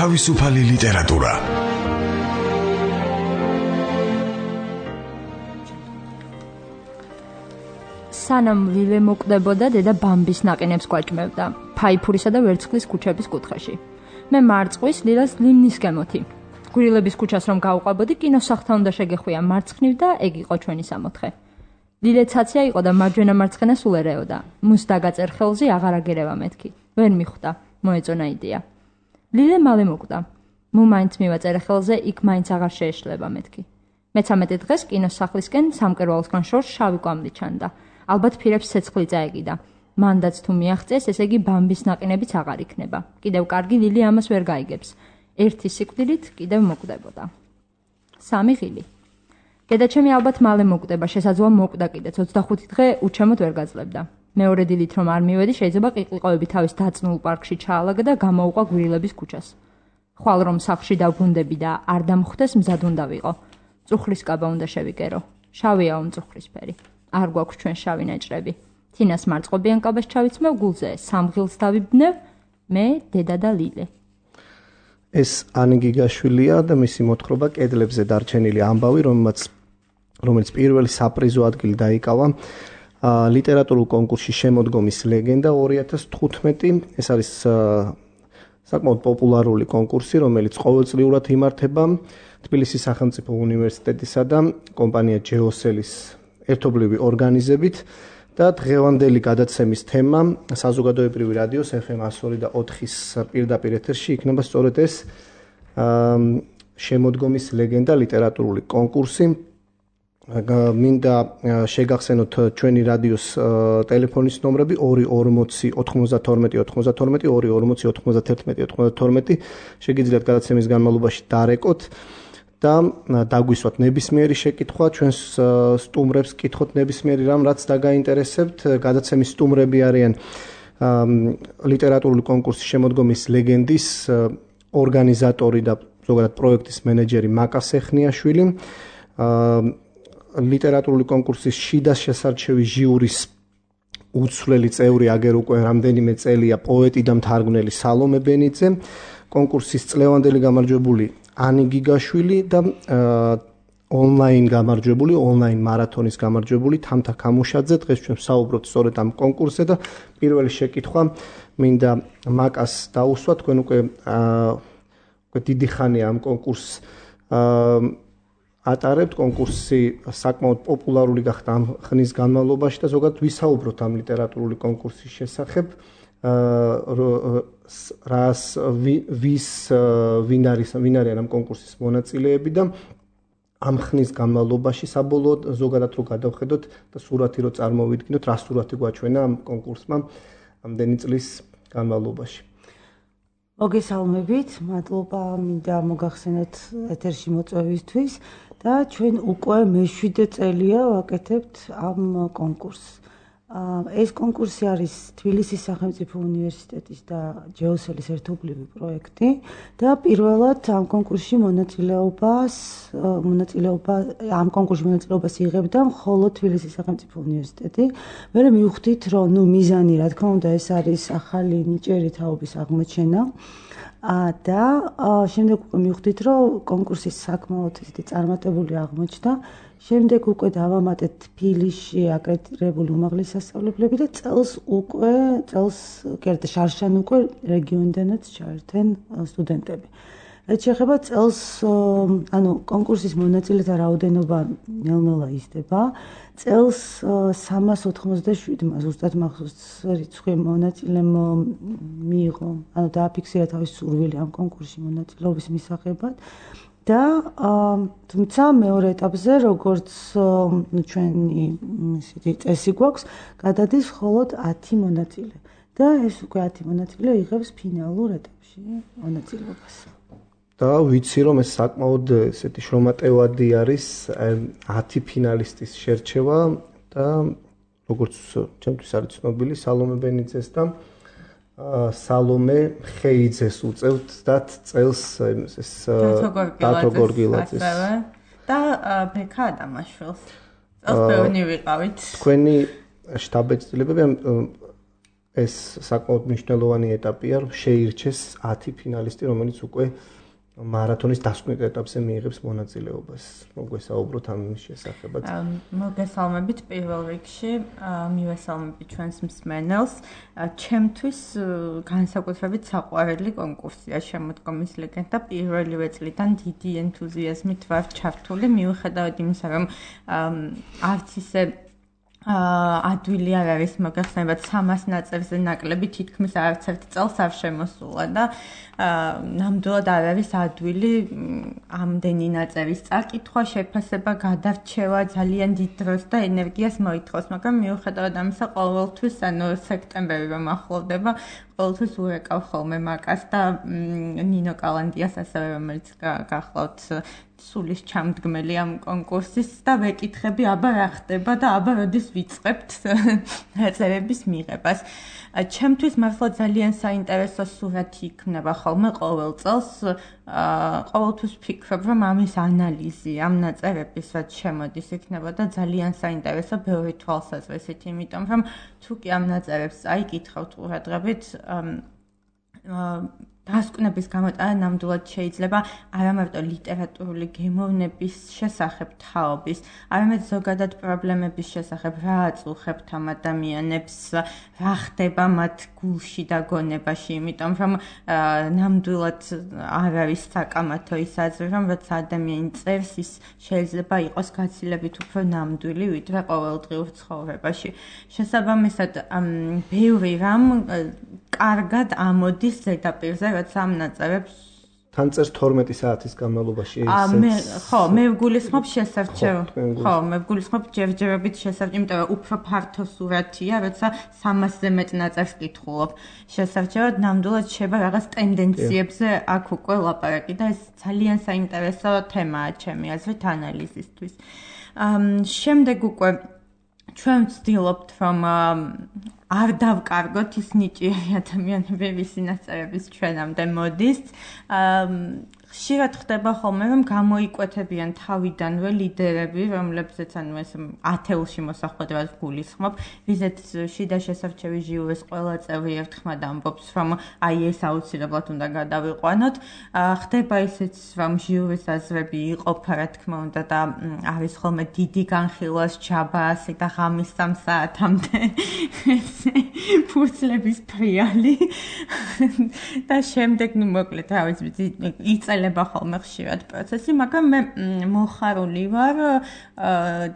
თავისუფალი ლიტერატურა. სანამ ლილე მოკვდებოდა, დედა ბამბის ნაყინებს გვაჭმევდა ფაიფურისა და ვერცხლის ქუჩების კუთხეში. მე მარწყვის ლილას ლიმნის გემოთი. გვირილების ქუჩას რომ გავყვებოდი, კინოსახთან უნდა შეგეხვია მარცხნივ და ეგ იყო ჩვენი სამოთხე. ლილე ცაცია იყო და მარჯვენა მარცხენა სულ ერეოდა. მუს დაგაწერ ხელზე აღარ აგერევა მეთქი. ვერ მიხვდა, მოეწონა იდეა. ლილე მალე მოკვდა. მუ მაინც მივაწერე ხელზე, იქ მაინც აღარ შეეშლება მეთქი. მე-13 დღეს კინოსახლისკენ სამკერვალოსგან შორს შავი კვამლი ჩანდა. ალბათ ფირებს ცეცხლი წაეგიდა. მანდაც თუ მიაღწეს, ესე იგი ბამბის ნაყინებიც აღარ იქნება. კიდევ კარგი ლილი ამას ვერ გაიგებს. ერთი სიკვდილით კიდევ მოკვდებოდა. 3 ღილი. დედაჩემი ალბათ მალე მოკვდება, შესაძლოა მოკვდა კიდეც 25 დღე უჩემოდ ვერ გაძლებდა. მეორე დილით რომ არ მივედი, შეიძლება ყიყლიყოები თავის დაწნულ პარკში ჩაალაგა და გამოვყვა გვირილების ქუჩას. ხვალ რომ სახლში დავბრუნდები და არ დამხვდეს, მზად უნდა ვიყო. წუხლის კაბა უნდა შევიკერო. შავიაო მწუხლისფერი. არ გვაქვს ჩვენ შავი ნაჭრები. თინას მარწყობიან კაბას ჩავიცმევ გულზე, 3 ღილს დავიბნევ, მე, დედა და ლილე. ეს ანი გიგაშვილია და მისი მოთხრობა კედლებზე დარჩენილი ამბავი, რომელიც პირველი საპრიზო ადგილი დაიკავა ლიტერატურულ კონკურსში შემოდგომის ლეგენდა 2015. ეს არის საკმაოდ პოპულარული კონკურსი, რომელიც ყოველწლიურად იმართება თბილისის სახელმწიფო უნივერსიტეტისა და კომპანია ჯეოსელის ერთობლივი ორგანიზებით და დღევანდელი გადაცემის თემა საზოგადოებრივი რადიოს FM 102 და 4-ის პირდაპირ ეთერში იქნება სწორედ ეს შემოდგომის ლეგენდა ლიტერატურული კონკურსი. მინდა შეგახსენოთ ჩვენი რადიოს ტელეფონის ნომრები 240 92 92 240 91 92. შეგიძლიათ გადაცემის განმავლობაში დარეკოთ და დაგვისვათ ნებისმიერი შეკითხვა, ჩვენს სტუმრებს კითხოთ ნებისმიერი რამ, რაც დაგაინტერესებთ. გადაცემის სტუმრები არიან ლიტერატურული კონკურსის შემოდგომის ლეგენდის ორგანიზატორი და ზოგადად პროექტის მენეჯერი მაკა სეხნიაშვილი, ლიტერატურული კონკურსის შიდა შესარჩევი ჟიურის უცვლელი წევრი აგერ უკვე რამდენიმე წელია პოეტი და მთარგმნელი სალომე ბენიძე, კონკურსის წლევანდელი გამარჯვებული ანი გიგაშვილი და ონლაინ მარათონის გამარჯვებული თამთა კამუშაძე. დღეს ჩვენ საუბრობთ სწორედ ამ კონკურსზე და პირველი შეკითხვა მინდა მაკას დაუსვა. თქვენ უკვე დიდი ხანია ამ კონკურსს ატარებთ. კონკურსი საკმაოდ პოპულარული გახდა ამ ხნის განმავლობაში და ზოგადად ვისაუბროთ ამ ლიტერატურული კონკურსის შესახებ. ვინ არიან ამ კონკურსის მონაწილეები და ამ ხნის განმავლობაში საბოლოოდ ზოგადად რო გადავხედოთ და სურათი რო წარმოვიდგინოთ, რა სურათი გვაჩვენა ამ კონკურსმა ამდენი წლის განმავლობაში. მოგესალმებით, მადლობა მინდა მოგახსენოთ ეთერში მოწვევისთვის და ჩვენ უკვე მე-7 წელია ვაკეთებთ ამ კონკურსს. ეს კონკურსი არის თბილისის სახელმწიფო უნივერსიტეტის და ჯეოსელის ერთობლივი პროექტი და პირველად ამ კონკურსში მონაწილეობას იღებდა მხოლოდ თბილისის სახელმწიფო უნივერსიტეტი. მერე მივხვდით, რომ მიზანი, რა თქმა უნდა, ეს არის ახალი ნიჭიერი თაობის აღმოჩენა და შემდეგ უკვე მივხვდით, რომ კონკურსის საკმაოდ წარმატებული აღმოჩნდა. შემდეგ უკვე დავამატეთ თბილისში აკრედიტირებული უმაღლესი სასწავლებლები და წელს შარშან უკვე რეგიონიდანაც ჩაერთენ სტუდენტები. რაც შეეხება წელს, კონკურსის მონაწილეთა რაოდენობა ნელ-ნელა იზრდება. წელს 387, ზუსტად მახსოვს რიცხვი მონაწილემ მიიღო, დააფიქსირა თავის სურვილი ამ კონკურსში მონაწილეობის მისაღებად. და თუმცა მეორე ეტაპზე, როგორც ჩვენი წესი გვაქვს, გადადის მხოლოდ 10 მონაწილე და ეს უკვე 10 მონაწილე იღებს ფინალურ ეტაპში მონაწილეობას. და ვიცი, რომ ეს საკმაოდ ესეთი შრომატევადი არის 10 ფინალისტის შერჩევა და როგორც ჩემთვის არის ცნობილი, სალომე ბენიძეს და სალომე ხეიძეს უწევთ და წელს ეს დათო გორგილაძეს და ბექა ადამიანშვილს. წელს ბევრი ვიყავით. თქვენი შტაბ-ეცნიერებები ეს საკმაოდ მნიშვნელოვანი ეტაპია, რომ შეირჩეს 10 ფინალისტი, რომელიც უკვე მარათონის დასკვნით ეტაპზე მიიღებს მონაწილეობას. მოგესალმებით ამ შესახებაც. მოგესალმებით პირველ რიგში, მივესალმებით ჩვენს მსმენელს. ჩემთვის განსაკუთრებით საყვარელი კონკურსია შემოდგომის ლეგენდა. პირველივე წლიდან დიდი ენთუზიაზმით ვარ ჩართული, მიუხედავად იმისა, რომ არც ისე ადვილი არ არის მოგეხსენებათ 300 ნაწერზე ნაკლები თითქმის არც ერთ წელს არ შემოსულა და ნამდვილად არ არის ადვილი ამდენი ნაწერის წაკითხვა, შეფასება, გადარჩევა ძალიან დიდ დროს და ენერგიას მოითხოვს, მაგრამ მიუხედავად ამისა ყოველთვის სექტემბერი რომ ახლოვდება, ყოველთვის ურეკავ ხოლმე მაკას და ნინო კალანდიას ასევე, რომელიც გახლავთ სულის ჩამდგმელი ამ კონკურსის და ვეკითხები, აბა რა ხდება და აბა როდის ვიწყებთ ნაწერების მიღებას. ჩემთვის მართლა ძალიან საინტერესო სურათი იქნება ხოლმე ყოველ წელს. ყოველთვის ვფიქრობ, რომ ამის ანალიზი, ამ ნაწერების რაც შემოდის იქნებოდა ძალიან საინტერესო ბევრი თვალსაზრისით, იმიტომ რომ თუ კი ამ ნაწერებს წაიკითხავთ ყურადღებით, დასკვნების გამოტანა ნამდვილად შეიძლება არა მარტო ლიტერატურული გემოვნების შესახებ თაობის, არამედ ზოგადად პრობლემების შესახებ, რა აწუხებთ ამ ადამიანებს, რა ხდება მათ გულში და გონებაში, იმიტომ რომ ნამდვილად არ არის საკამათო ის აზრი, რომ როცა ადამიანი წერს, ის შეიძლება იყოს გაცილებით უფრო ნამდვილი, ვიდრე ყოველდღიურ ცხოვრებაში. შესაბამისად, ბევრი რამ კარგად ამოდის ზედაპირზე, როცა ამ ნაწერებს თან წერს 12 საათის განმავლობაში მე ვგულისხმობ შესარჩევ. მე ვგულისხმობ ჯერჯერობით შესარჩევ, იმიტომ რომ უფრო ფართო სურათია, როცა 300-ზე მეტ ნაწერს კითხულობ. შესარჩევად ნამდვილად შეება რაღაც ტენდენციებზე აქ უკვე ლაპარაკი და ეს ძალიან საინტერესო თემაა ჩემი აზრით ანალიზისთვის. შემდეგ უკვე ჩვენ ვცდილობთ, რომ არ დავკარგოთ ის ნიჭიერი ადამიანები, ვისი ნაწერების ჩვენამდე მოდის. ხშირად ხდება ხოლმე, რომ გამოიკვეთებიან თავიდანვე ლიდერები, რომლებზეც ეს ათეულში მოსახვედრად გულისხმობ, ვიზეთ შიდა შესარჩევი ჟიურის ყველა წევრი ერთხმად ამბობს, რომ აი ეს აუცილებლად უნდა გადავიყვანოთ. ხდება ისიც, რომ ჟიურის აზრები იყოფა, რა თქმა უნდა, და არის ხოლმე დიდი განხილვა ჯაბა ასე და ღამის 3 საათამდე ფურცლების ფრიალი და შემდეგ მოკლედ რა ვიცი იწელება ხოლმე ხშირად პროცესი, მაგრამ მე მოხარული ვარ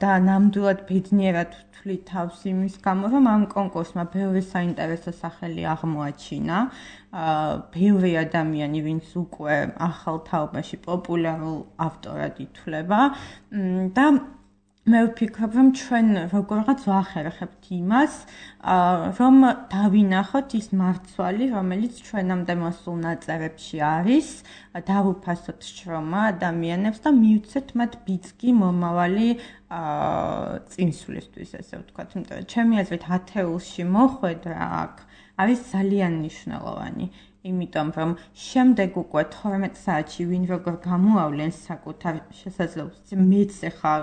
და ნამდვილად ბედნიერად ვთვლი თავს იმის გამო, რომ ამ კონკურსმა ბევრი საინტერესო სახელი აღმოაჩინა. ბევრი ადამიანი, ვინც უკვე ახალ თაობაში პოპულარულ ავტორად ითვლება და მე ვფიქრობ, რომ ჩვენ როგორღაც ვახერხებთ იმას, რომ დავინახოთ ის მარცვალი, რომელიც ჩვენამდე მოსულ ნაწერებში არის, დავუფასოთ შრომა ადამიანებს და მივცეთ მათ ბიძგი მომავალი წინსვლისთვის, ესე ვთქვათ. ჩემი აზრით, ათეულში მოხვედრა აქ არის ძალიან მნიშვნელოვანი. იმიტომ რომ შემდეგ უკვე 12 საათში ვინ როგორ გამოავლენს საკუთარ შესაძლებლობას, მეც ახლა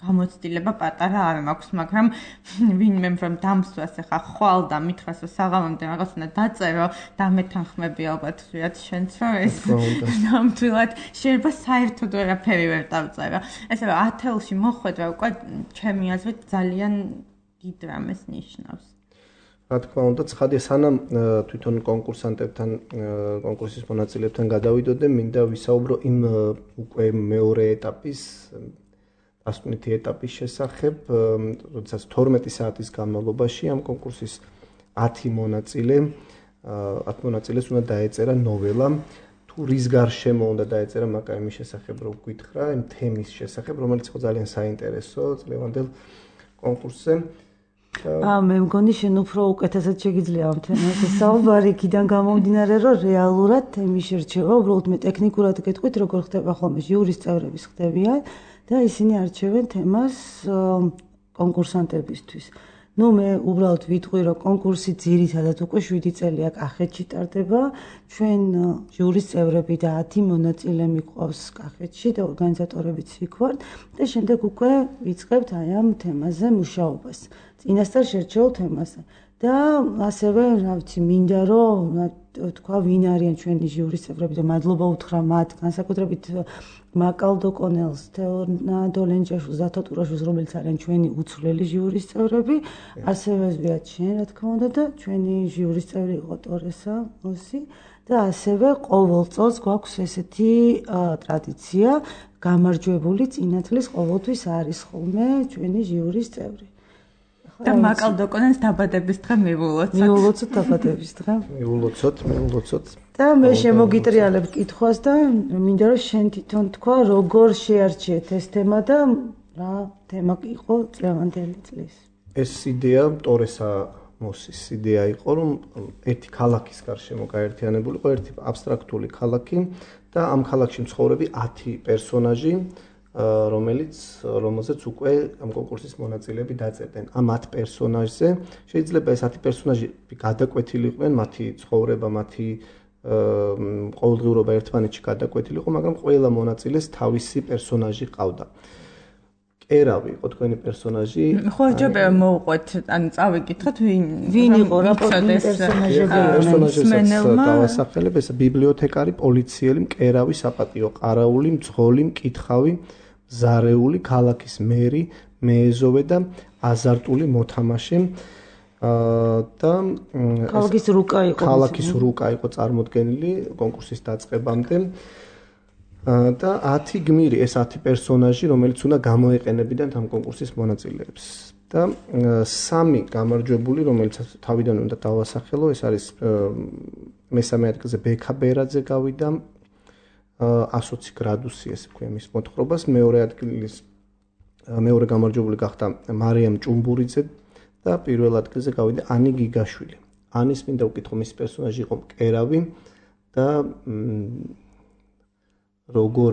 გამოცდილება პატარა არ მაქვს, მაგრამ ვინმე რომ დამსვას ახლა ხვალ და მითხრას რომ საღამომდე რაღაც უნდა დაწერო და მეთანხმები ალბათ ვიათ შენც რომ ეს ნამდვილად შეიძლება საერთოდ ვერაფერი ვერ დავწერო. ესე რომ ათეულში მოხვედრა უკვე ჩემი აზრით ძალიან დიდ რამეს ნიშნავს. რა თქმა უნდა, ცხადია, სანამ თვითონ კონკურსანტებთან, კონკურსის მონაწილეებთან გადავიდოდე, მინდა ვისაუბრო იმ უკვე მეორე ეტაპის დასკვნითი ეტაპის შესახებ, როდესაც 12 საათის განმავლობაში ამ კონკურსის 10 მონაწილეს უნდა დაეწერა ნოველა. თუ რის გარშემო უნდა დაეწერა, მაგრამ იმის შესახებ რო გითხრა, იმ თემის შესახებ, რომელიც ხო ძალიან საინტერესო წლევანდელ კონკურსზე. მე მგონი შენ უფრო უკეთესად შეგიძლია ამ თემაზე საუბარი, იქიდან გამომდინარე, რომ რეალურად თემის შერჩევა, უბრალოდ მე ტექნიკურად გეტყვით, როგორ ხდება ხოლმე ჟიურის წევრების ხდებიან და ისინი არჩევენ თემას კონკურსანტებისთვის. მე უბრალოდ ვიტყვი, რომ კონკურსი ძირითადად უკვე 7 წელია კახეთში ტარდება. ჩვენ ჟიურის წევრები და 10 მონაწილე მიყვავს კახეთში და ორგანიზატორებიც იქ ვართ და შემდეგ უკვე ვიწყებთ აი ამ თემაზე მუშაობას. წინასწარ შერჩეულ თემაზე. და ასევე, რა ვიცი, მინდა რომ თქვა ვინ არიან ჩვენი ჟიურის წევრები და მადლობა უთხრა მათ, განსაკუთრებით მაკალდო კონელს, თეორნა დოლენჯაშვილს, ზათო ტურაშვილს, რომელიც არიან ჩვენი უცვლელი ჟიურის წევრები, ასევე ზვიად შენ, რა თქმა უნდა და ჩვენი ჟიურის წევრი იყო ტორესა მოსი და ასევე ყოველ წელს გვაქვს ესეთი ტრადიცია, გამარჯვებული წინათლის ყოველთვის არის ხოლმე ჩვენი ჟიურის წევრი. და მაკალდო კონელს დაბადების დღე მივულოცოთ. მივულოცოთ დაბადების დღე. მივულოცოთ. და მე შემოგიტრიალებ კითხვას და მინდა რომ შენ თვითონ თქვა როგორ შეარჩიეთ ეს თემა და რა თემა იყო წლევანდელი წლის. ეს იდეა ტორესა მოსის იდეა იყო რომ ერთი ქალაქის გარშემო გაერთიანებულიყო ერთი აბსტრაქტული ქალაქი და ამ ქალაქში მცხოვრები 10 პერსონაჟი რომელზეც უკვე ამ კონკურსის მონაწილეები დაწერდნენ. ამ 10 პერსონაჟზე შეიძლება ეს 10 პერსონაჟი გადაკვეთილიყვნენ, მათი ცხოვრება, მათი ყოველდღიურობა ერთმანეთში გადაკვეთილიყო, მაგრამ ყველა მონაწილეს თავისი პერსონაჟი ყავდა. კერავი იყო თქვენი პერსონაჟი. ხო, ჯობია მოვყვეთ, ანუ წავიკითხოთ ვინ იყო რა პერსონაჟები პერსონაჟებსაც დავასახელებ, ეს ბიბლიოთეკარი, პოლიციელი, მკერავი, საპატიო ყარაული, მძღოლი, მკითხავი, ზარეული, ქალაქის მერი, მეეზოვე და აზარტული მოთამაშე. და ქალაქის რუკა იყო წარმოდგენილი კონკურსის დაწყებამდე. და 10 გმირი, ეს 10 პერსონაჟი, რომელიც უნდა გამოეყენებინათ ამ კონკურსის მონაწილეებს. და 3 გამარჯვებული, რომელიც თავიდან უნდა დავასახელო, ეს არის მესამე ადგილზე ბექა ბერაძე გავიდა 120 გრადუსი, ესე ვქვია მის მოთხრობას, მეორე გამარჯვებული გახდა მარიამ ჭუმბურიძე და პირველ ადგილზე გავიდა ანი გიგაშვილი. ანის მინდა ვკითხო, მის პერსონაჟი იყო მკერავი და როგორ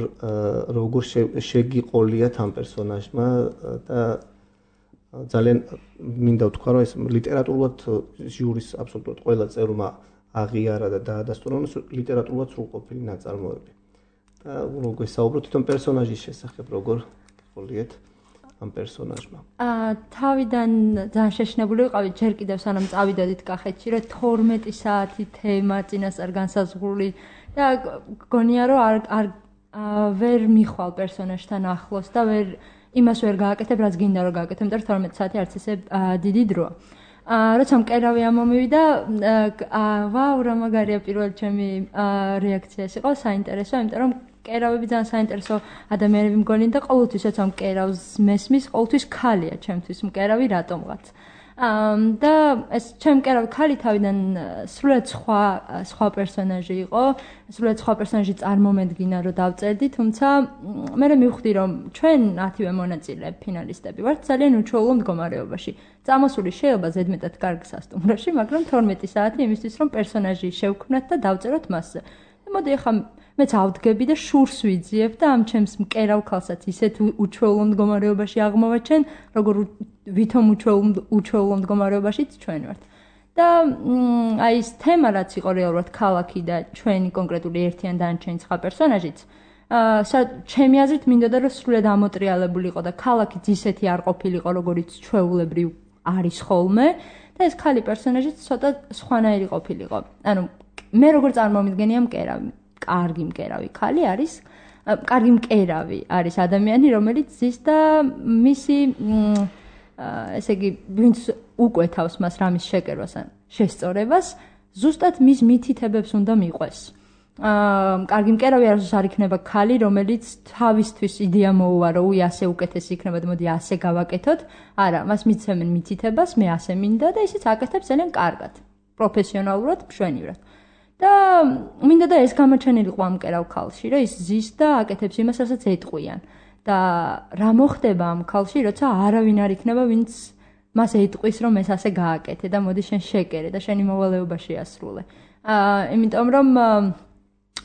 შეგიყოლიათ ამ პერსონაჟმა და ძალიან მინდა ვთქვა, რომ ეს ლიტერატურულად ჟიურის აბსოლუტურად ყველა წევრმა აღიარა და დაადასტურა, რომ ლიტერატურულად სრულყოფილი ნაწარმოები. და როგორ საუბრობთ თვითონ პერსონაჟის შესახებ, როგორ გიყოლიათ ამ პერსონაჟმა. თავიდან ძალიან შეშინებული ვიყავი, ჯერ კიდევ სანამ წავიდოდით კახეთში, რომ 12 საათი თემა წინასწარ განსაზღვრული და გონია რომ არ ვერ მიხვალ პერსონაჟთან ახლოს და იმას ვერ გააკეთებ, რაც გინდა რომ გააკეთებ, იმიტომ რომ 12 საათი არც ესე დიდი დროა. როცა მკერავი ამომივიდა, ვაუ, რა მაგარია პირველი ჩემი რეაქცია ეს იყო, საინტერესო, იმიტომ რომ მკერავები ძალიან საინტერესო ადამიანები მგონი და ყოველთვის როცა მკერავს მესმის, ყოველთვის ქალია ჩემთვის მკერავი რატომღაც. და ეს ჩემ მკერავი ქალი თავიდან სრულიად სხვა პერსონაჟი იყო, სრულიად სხვა პერსონაჟი წარმომედგინა რომ დავწერდი, თუმცა მე მივხვდი რომ ჩვენ 10-ვე მონაწილე ფინალისტები ვართ ძალიან უჩვეულო მდგომარეობაში. წამოსული შეიძლება ზედმეტად კარგ სასტუმროში, მაგრამ 12 საათი იმისთვის რომ პერსონაჟი შევქმნათ და დავწეროთ მასზე. მოდი ახლა მეც ავდგები და შურს ვიძიებ და ამ ჩემს მკერავ ქალსაც ისეთ უჩვეულო მდგომარეობაში აღმოვაჩენ, როგორ ვითომ უჩვეულო მდგომარეობაშიც ჩვენ ვართ. და აი ეს თემა რაც იყო რეალურად ქალაქი და ჩვენი კონკრეტული ერთიან დანარჩენი სხვა პერსონაჟიც, ჩემი აზრით მინდოდა რომ სრულიად ამოტრიალებულიყო და ქალაქიც ისეთი არ ყოფილიყო, როგორიც ჩვეულებრივ არის ხოლმე და ეს ქალი პერსონაჟიც ცოტა სხვანაირი ყოფილიყო. ანუ მე როგორ წარმომიდგენია მკერავი, კარგი მკერავი ქალი არის, კარგი მკერავი არის ადამიანი, რომელიც ზის და მისი ესე იგი ვინც უკვეთავს მას რამის შეკერვას ან შესწორებას, ზუსტად მის მითითებებს უნდა მიყვეს. კარგი მკერავი არ იქნება ქალი, რომელიც თავისთვის იდეა მოუვარო, ასე უკეთესი იქნება და მოდი ასე გავაკეთოთ. არა, მას მიცემენ მითითებას, მე ასე მინდა და ისიც აკეთებს ძალიან კარგად, პროფესიონალურად, მშვენივრად. და მინდა და ეს გამოჩენილიყო ამ მკერავ ქალში, რომ ის ზის და აკეთებს იმას, რასაც ეტყვიან. და რა მოხდება ამ ქალში, როცა არავინ არ იქნება, ვინც მას ეტყვის, რომ ეს ასე გააკეთე და მოდი შენ შეკერე და შენი მოვალეობა შეასრულე. იმიტომ რომ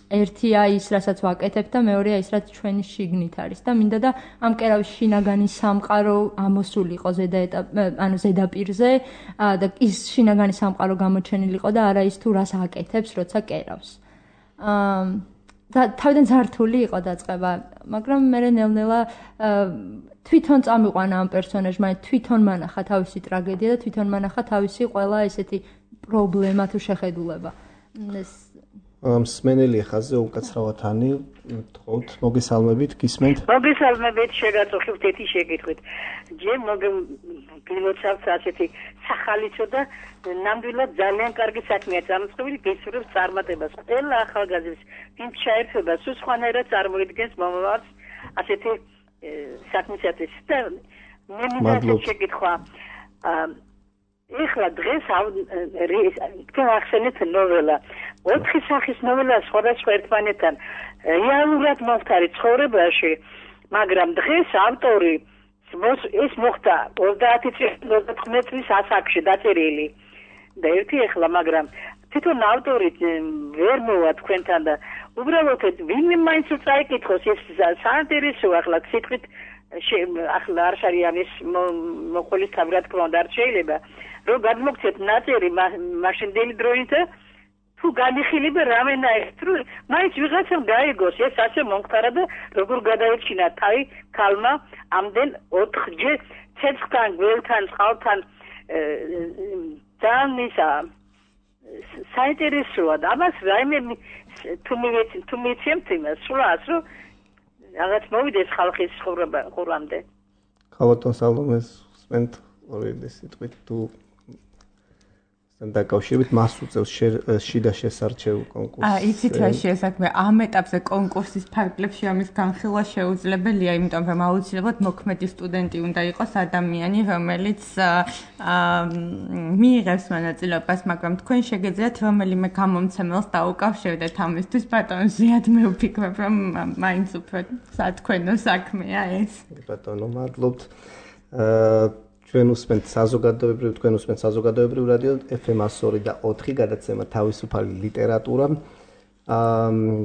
ერთია ის, რასაც ვაკეთებ და მეორეა ის, რაც ჩვენი შიგნით არის და მინდა და ამ მკერავის შინაგანი სამყარო ამოსულიყო ზედაპირზე და ის შინაგანი სამყარო გამოჩენილიყო და არა ის თუ რას აკეთებს, როცა კერავს. თავიდან ზართული იყო დაწყება, მაგრამ მე ნელ-ნელა თვითონ წამიყვანა ამ პერსონაჟმა, თვითონ მანახა თავისი ტრაგედია და თვითონ მანახა თავისი ყველა ესეთი პრობლემა თუ შეხედულება. მსმენელი ხაზზე უკაცრავად ანი, თხოვთ მოგესალმებით, გისმენთ? მოგესალმებით, შეგაწუხებთ ეთი შეკითხვით. ჯერ გილოცავთ ასეთი სახალისო და ნამდვილად ძალიან კარგი საქმეა წამოწყობილი, გესურვებს წარმატებას. ყველა ახალგაზრდის იმ ჩაერთვება სულ სხვანაირად წარმოიდგენს მომავალს ასეთი საქმისათვის და მე მინდა შეკითხვა. ეხლა დღეს ახსენეთ ნოველა. 4 სახის ნოველა სხვადასხვა ერთმანეთთან რეალურად მომხდარი ცხოვრებაში, მაგრამ დღეს ავტორი ეს მოხდა 30 წლის ასაკში დაწერილი და ერთი ეხლა, მაგრამ თვითონ ავტორი ვერ მოვა თქვენთან და უბრალოდ ვინმე მაინც წაიკითხოს ეს საინტერესოა ახლა სიტყვით ახლა არ შარიან ეს მოყოლის თავად თქმა უნდა არ შეიძლება რომ გადმოგცეთ ნაწერი მაშინდელი დროით თუ განიხილება რამენაირად რომ მაინც ვიღაცამ გაიგოს ეს ასე მომხდარა და როგორ გადაეჩინა თავი ქალმა ამდენ 4-ჯერ ცეცხლთან, გველთან, წყალთან ძალიან ისა საინტერესოა და ამას რაიმე თუ მიცემთ იმას სულაც რომ რაღაც მოვიდეს ხალხის ხურამდე. ქალბატონ სალომეს სპენთ ორი სიტყვით თუ დაკავშირებით მას უწევს შიდა შესარჩევ კონკურსს. იცით რა შეესაქმე ამ ეტაპზე კონკურსის ფარგლებში ამის განხილვა შეუძლებელია, იმიტომ რომ აუცილებლად მოქმედი სტუდენტი უნდა იყოს ადამიანი, რომელიც მიიღებს მონაწილეობას, მაგრამ თქვენ შეგეძლიათ რომელიმე გამომცემელს დაუკავშირდეთ ამისთვის, ბატონ ზიად მე ვფიქრობ, რომ მაინც უფრო სათქვენო საქმეა ეს. ბატონო, მადლობთ. თქვენ უსმენთ საზოგადოებრივ რადიო FM 102 და 4 გადაცემა თავისუფალი ლიტერატურა.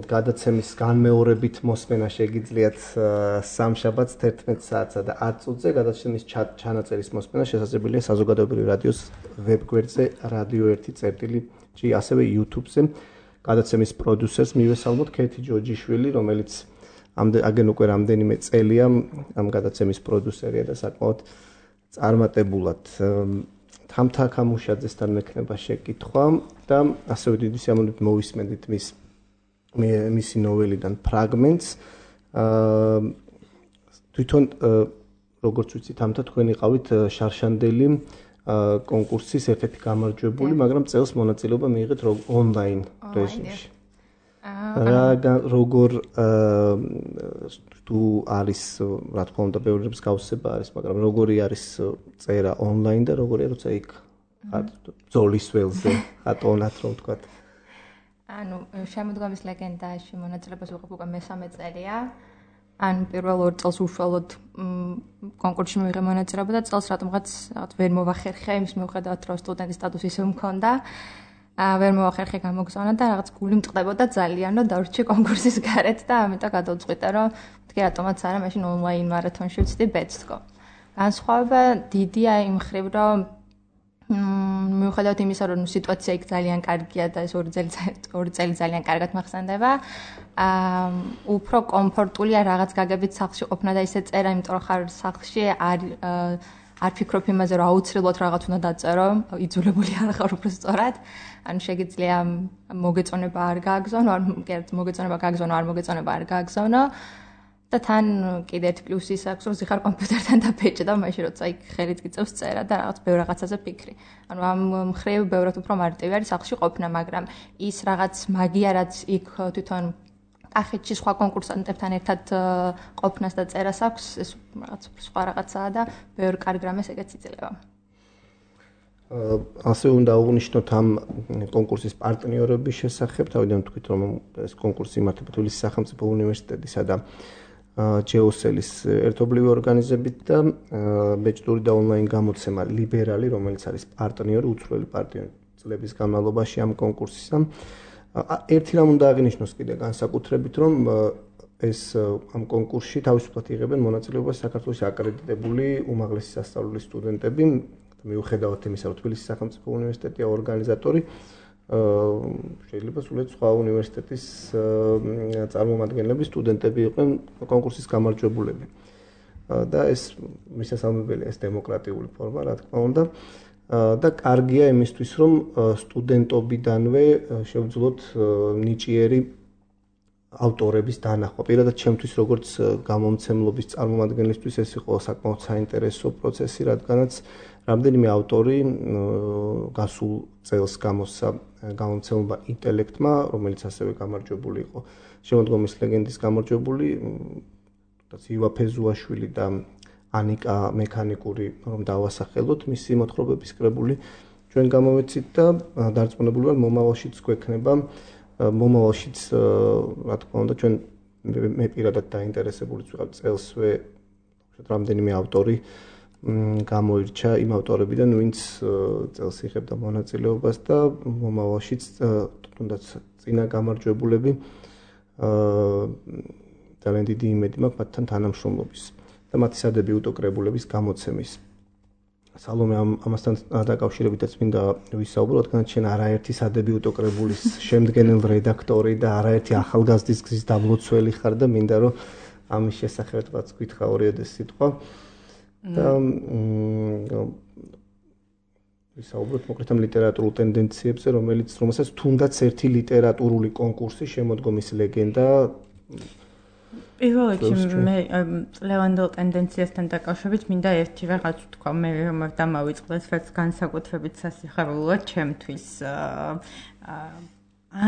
გადაცემის განმეორებით მოსმენა შეგიძლიათ სამშაბათს 11 საათსა და 10 წუთზე, გადაცემის ჩანაწერის მოსმენა შესაძლებელია საზოგადოებრივ რადიოს ვებგვერდზე radio1.g, ასევე YouTube-ზე. გადაცემის პროდიუსერს მივესალმოთ ქეთი ჯოჯიშვილი, რომელიც აგენ უკვე რამდენიმე წელია ამ გადაცემის პროდიუსერია და საკმაოდ წარმატებულად თამთა ქამუშაძესთან მექნება შეკითხვა და ასევე დიდი სიამოვნებით მოვისმენთ მისი ნოველიდან ფრაგმენტს. თვითონ როგორც ვიცით, თამთა თქვენ იყავით შარშანდელი კონკურსის ერთ-ერთი გამარჯვებული, მაგრამ წელს მონაწილეობა მიიღეთ ონლაინ რეჟიმში. როგორ თუ არის რა თქმა უნდა ბევრი მსგავსება არის, მაგრამ როგორი არის წერა ონლაინ და როგორია როცა იქ ბრძოლის ველზე ატონათ რომ ვთქვა. ანუ შემოდგომის ლეგენდაში მონაწილეობას ვიღებ უკვე მე-3 წელია. ანუ პირველ 2 წელს უშუალოდ კონკურსში მივიღე მონაწილეობა და წელს რატომღაც ვერ მოვახერხე იმის მიუხედავად რომ სტუდენტის სტატუსი ისე მქონდა. ვერ მოვახერხე გამოგზავნა და რაღაც გული მწყდებოდა ძალიან რომ დავრჩი კონკურსის გარეთ და ამიტომ გადავწყვიტე რომ თქვი რატომაც არა მაშინ ონლაინ მარათონში ვცდი ბეცთქო. განსხვავება დიდია იმ მხრივ რომ მიუხედავად იმისა რომ სიტუაცია იქ ძალიან კარგია და ეს 2 წელი ძალიან კარგად მახსენდება, უფრო კომფორტულია რაღაც გაგებით სახლში ყოფნა და ისე წერა, იმიტომ რომ ხარ სახლში არ ფიქრობ იმაზე რომ აუცილებლად რაღაც უნდა დაწერო, იძულებული არ ხარ უფრო სწორად. ანუ შეგიძლია მოგეწონება არ გააგზავნო, არ მოგეწონება გააგზავნო, არ მოგეწონება არ გააგზავნო. და თან კიდე ერთ პლუსი ის აქვს, რომ ზიხარ კომპიუტერთან დაბეჭდა და მაშინ როცა იქ ხელით გიწევს წერა და რაღაც ბევრ რაღაცაზე ფიქრი. ანუ ამ მხრივ ბევრად უფრო მარტივი არის სახლში ყოფნა, მაგრამ ის რაღაც მაგია, რაც იქ თვითონ კახეთში სხვა კონკურსანტებთან ერთად ყოფნას და წერას აქვს, ეს რაღაც სხვა რაღაცაა და ბევრ კარგ რამეს ეგეც იძლევა. ასე უნდა აღნიშნოთ ამ კონკურსის პარტნიორების შესახებ, თავიდან თქვით რომ ეს კონკურსი იმართება თბილისის სახელმწიფო უნივერსიტეტისა და ჯეოსელის ერთობლივი ორგანიზებით და ბეჭდური და ონლაინ გამოცემა ლიბერალი, რომელიც არის პარტნიორი, უცვლელი პარტნიორი წლების განმავლობაში ამ კონკურსისა. ერთი რამ უნდა აღინიშნოს კიდე განსაკუთრებით, რომ ეს ამ კონკურსში თავისუფლად იღებენ მონაწილეობას საქართველოს აკრედიტებული უმაღლესი სასწავლებელი სტუდენტები, მიუხედავად იმისა, რომ თბილისის სახელმწიფო უნივერსიტეტია ორგანიზატორი, შეიძლება სულაც სხვა უნივერსიტეტის წარმომადგენლები, სტუდენტები იყვნენ კონკურსის გამარჯვებულები. და ეს მისასალმებელია ეს დემოკრატიული ფორმა, რა თქმა უნდა. და კარგია იმისთვის, რომ სტუდენტობიდანვე შევძლოთ ნიჭიერი ავტორების დანახვა. პირადად ჩემთვის როგორც გამომცემლობის წარმომადგენლისთვის ეს იყო საკმაოდ საინტერესო პროცესი, რადგანაც რამდენიმე ავტორი გასულ წელს გამოსცა გამომცემლობა ინტელექტმა, რომელიც ასევე გამარჯვებული იყო. შემოდგომის ლეგენდის გამარჯვებული ივა ფეზუაშვილი და ანიკა მექანიკური, რომ დავასახელოთ მისი მოთხრობების კრებული ჩვენ გამოვეცით და დარწმუნებული ვარ მომავალშიც გვექნება მომავალშიც რა თქმა უნდა ჩვენ მე პირადად დაინტერესებულიც ვიყავ წელსვე რამდენიმე ავტორი გამოირჩა იმ ავტორებიდან ვინც წელს იღებდა მონაწილეობას და მომავალშიც თუნდაც წინა გამარჯვებულები ძალიან დიდი იმედი მაქვს მათთან თანამშრომლობის და მათი სადებიუტო კრებულების გამოცემის. სალომე ამასთან დაკავშირებითაც მინდა ვისაუბრო, რადგან ჩვენ არაერთი სადებიუტო კრებულის შემდგენელ რედაქტორი და არაერთი ახალგაზრდის გზის დაბლოცველი ხარ და მინდა რომ ამის შესახებაც გითხრა ორიოდე სიტყვა. და ვისაუბროთ მოკლედ ამ ლიტერატურულ ტენდენციებზე, რომელსაც თუნდაც ერთი ლიტერატურული კონკურსი შემოდგომის ლეგენდა პირველ რიგში მე წლევანდელ ტენდენციასთან დაკავშირებით მინდა ერთი რაღაც ვთქვა, მე რომ დამავიწყდეს, რაც განსაკუთრებით სასიხარულოა ჩემთვის.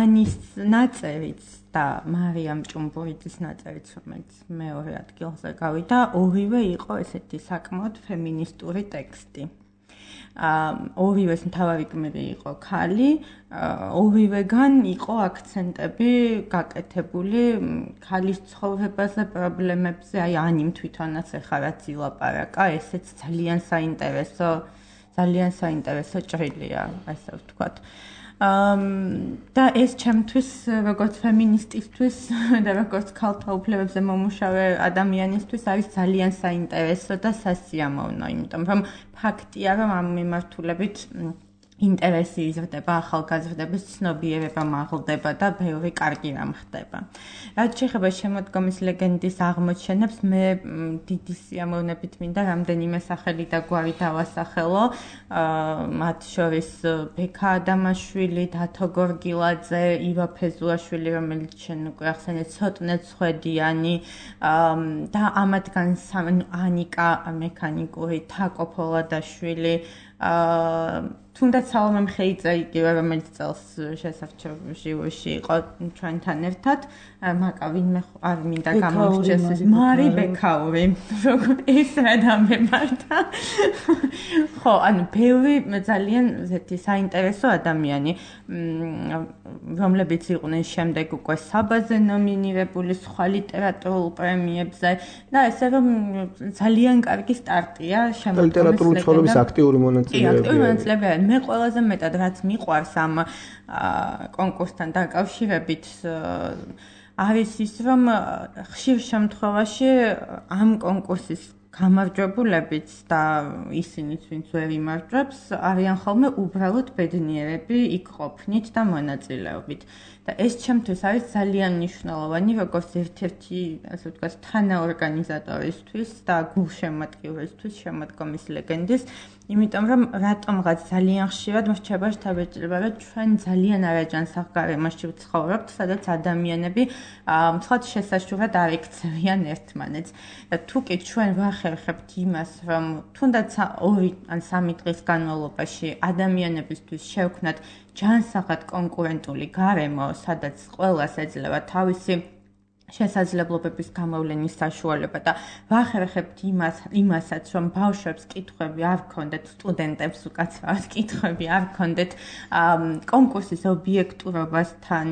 ანის ნაწერიც და მარიამ ჭუმბურიძის ნაწერიც, რომელიც მეორე ადგილზე გავიდა, ორივე იყო ესეთი საკმაოდ ფემინისტური ტექსტი. ორივეს მთავარი გმირი იყო ქალი, ორივეგან იყო აქცენტები გაკეთებული ქალის ცხოვრებაზე, პრობლემებზე, აი ანიმ თვითონაც ეხლა რაც ილაპარაკა, ესეც ძალიან საინტერესო ჭრილია, ასე ვთქვათ. და ეს ჩემთვის როგორც ფემინისტისთვის და როგორც ქალთა უფლებებზე მომუშავე ადამიანისთვის არის ძალიან საინტერესო და სასიამოვნო, იმიტომ რომ ფაქტია, რომ ამ მიმართულებით ინტერესი იზრდება, ახალგაზრდების ცნობიერება მაღლდება და ბევრი კარგი რამ ხდება. რაც შეეხება შემოდგომის ლეგენდის აღმოჩენებს, მე დიდი სიამოვნებით მინდა რამდენიმე სახელი და გვარი დავასახელო, მათ შორის ბექა ადამაშვილი, დათო გორგილაძე, ივა ფეზუაშვილი, რომელიც შენ უკვე ახსენეთ, ცოტნე ცხვედიანი და ამათგან ანიკა მექანიკური, თაკო ფოლადაშვილი, თუნდაც სალომე მხეიძე იგივე, რომელიც წელს შესარჩევ ჟიურში იყო ჩვენთან ერთად, მაკა ვინმე არ მინდა გამოვრჩეს მარი ბექაური, ეს რა დამემართა. ხო, ანუ ბევრი ძალიან ესეთი საინტერესო ადამიანი, რომლებიც იყვნენ შემდეგ უკვე საბაზე ნომინირებული სხვა ლიტერატურულ პრემიებზე და ესე რომ ძალიან კარგი სტარტია შემოდგომის ლიტერატურული ცხოვრების აქტიური მონაწილეებია. მე ყველაზე მეტად რაც მიყვარს ამ კონკურსთან დაკავშირებით არის ის, რომ ხშირ შემთხვევაში ამ კონკურსის გამარჯვებულებიც და ისინიც, ვინც ვერ იმარჯვებს, არიან ხოლმე უბრალოდ ბედნიერები იქ ყოფნით და მონაწილეობით. და ეს ჩემთვის არის ძალიან მნიშვნელოვანი, როგორც ერთ-ერთი, ასე ვთქვათ, თანაორგანიზატორისთვის და გულშემატკივრისთვის შემოდგომის ლეგენდის, იმიტომ რომ რატომღაც ძალიან ხშირად მრჩება შთაბეჭდილება, რომ ჩვენ ძალიან არაჯანსაღ გარემოში ვცხოვრობთ, სადაც ადამიანები მცხად შესაშურად არ იქცევიან ერთმანეთს. და თუ კი ჩვენ ვახერხებთ იმას, რომ თუნდაც 2 ან 3 დღის განმავლობაში ადამიანებისთვის შევქმნათ ჯანსაღად კონკურენტული გარემო, სადაც ყველას ეძლევა თავისი შესაძლებლობების გამოვლენის საშუალება და ვახერხებთ იმასაც, რომ ბავშვებს კითხვები არ გქონდეთ, სტუდენტებს უკაცრავად კითხვები არ გქონდეთ კონკურსის ობიექტურობასთან,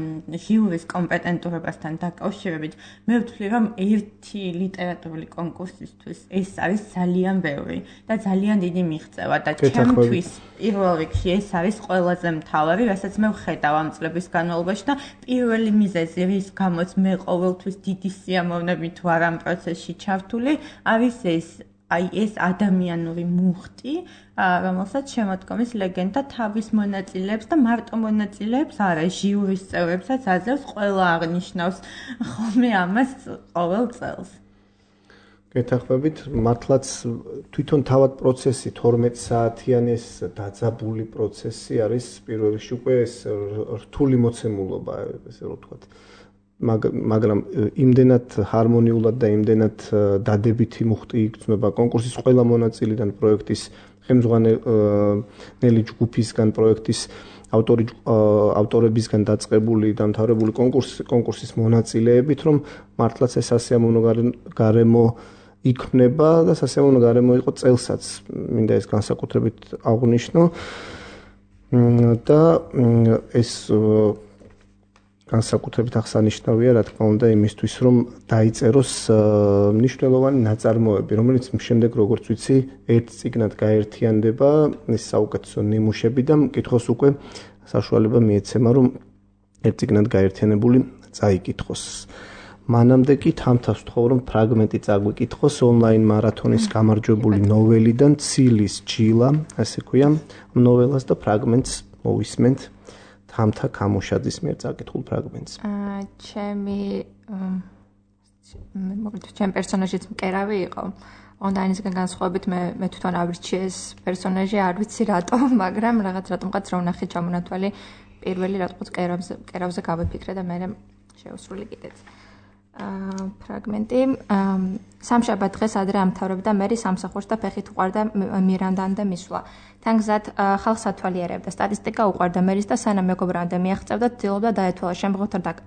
ჟიურის კომპეტენტურობასთან დაკავშირებით, მე ვთვლი, რომ ერთი ლიტერატურული კონკურსისთვის ეს არის ძალიან ბევრი და ძალიან დიდი მიღწევა და ჩემთვის პირველ რიგში ეს არის ყველაზე მთავარი, რასაც მე ვხედავ ამ წლების განმავლობაში და პირველი მიზეზი, რის გამოც მე ყოველთვის დიდი სიამოვნებით ვარ ამ პროცესში ჩართული, არის ეს აი ეს ადამიანური მუხტი, რომელსაც შემოდგომის ლეგენდა თავის მონაწილეებს და მარტო მონაწილეებს არა, ჟიურის წევრებსაც აძლევს, ყველა აღნიშნავს ხოლმე ამას ყოველ წელს. გეთახმებით, მართლაც თვითონ თავად პროცესი 12 საათიანი ეს დაძაბული პროცესი არის პირველ რიგში უკვე ეს რთული მოცემულობა, ესე რომ ვთქვათ. მაგრამ იმდენად ჰარმონიულად და იმდენად დადებითი მუხტი იგრძნობა კონკურსის ყველა მონაწილიდან, პროექტის ხელმძღვანელი ჯგუფისგან, პროექტის ავტორებისგან დაწყებული დამთავრებული კონკურსის მონაწილეებით, რომ მართლაც ეს სასიამოვნო გარემო იქნება და სასიამოვნო გარემო იყო წელსაც, მინდა ეს განსაკუთრებით აღვნიშნო და ეს განსაკუთრებით აღსანიშნავია, რა თქმა უნდა, იმისთვის, რომ დაიწეროს მნიშვნელოვანი ნაწარმოები, რომელიც შემდეგ, როგორც ვიცი, ერთ წიგნად გაერთიანდება, ეს საუკეთესო ნიმუშები და მკითხოს უკვე საშუალება მიეცემა, რომ ერთ წიგნად გაერთიანებული წაიკითხოს. მანამდე კი თამთავს ვთხოვ, რომ ფრაგმენტი წაგვიკითხოს ონლაინ მარათონის გამარჯვებული ნოველიდან ცილის ჯილა, ასე ქვია, ნოველას და ფრაგმენტს მოვისმენთ. თამთა ქამუშაძის მიერ წაკითხულ ფრაგმენტს. ჩემი პერსონაჟიც მკერავი იყო. ონლაინისგან განსხვავებით მე თვითონ ავრჩიე ეს პერსონაჟი, არ ვიცი რატო, მაგრამ რატომღაც რა ვნახე ჩამონათვალი პირველი რატყოც კერავზე გავიფიქრე და მე შევსრული კიდეც. ფრაგმენტი სამშაბათ დღეს ადრე ამთავრებდა მერი სამსახურს და ფეხით უყარდა მირანდამდე მისვლა. თან გზად ხალხს ათვალიერებდა, სტატისტიკა უყარდა მერის და სანამ მეგობრამდე მიაღწევდა, ცდილობდა დაეთვალა